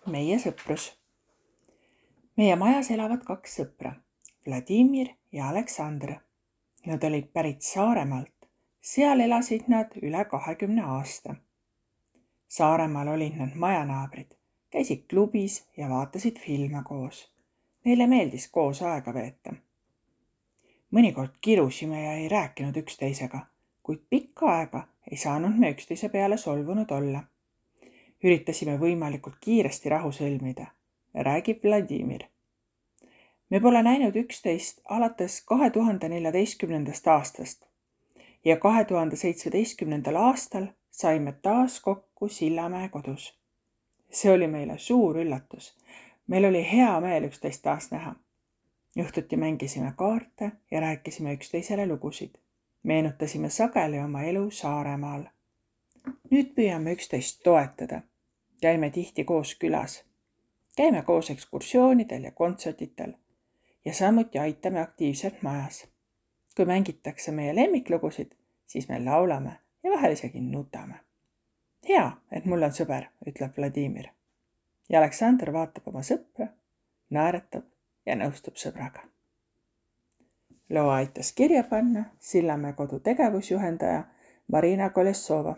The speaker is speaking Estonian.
meie sõprus. Meie majas elavad 2 sõpra, Vladimir ja Aleksandr. Nad olid pärit Saaremaalt. Seal elasid nad üle 20 aasta. Saaremaal olid nad majanaabrid, käisid klubis ja vaatasid filme koos. Neile meeldis koos aega veeta. Mõnikord kirusime ja ei rääkinud üksteisega, kuid pikka aega ei saanud me üksteise peale solvunud olla. Üritasime võimalikult kiiresti rahu sõlmida, räägib Vladimir. Me pole näinud üksteist alates 2014. aastast ja 2017. aastal saime taas kokku Sillamäe kodus. See oli meile suur üllatus. Meil oli hea meel üksteist taas näha. Õhtuti mängisime kaarte ja rääkisime üksteisele lugusid. Meenutasime sageli oma elu Saaremaal. Nüüd püüame üksteist toetada. Käime tihti koos külas. Käime koos ekskursioonidel ja kontserditel ja samuti aitame aktiivselt majas. Kui mängitakse meie lemmiklugusid, siis me laulame ja vahel isegi nutame. Hea, et mul on sõber, ütleb Vladimir. Ja Aleksandr vaatab oma sõpra, naeratab ja nõustub sõbraga. Loo aitas kirja panna Sillamäe kodu tegevusjuhendaja Marina Kolessova.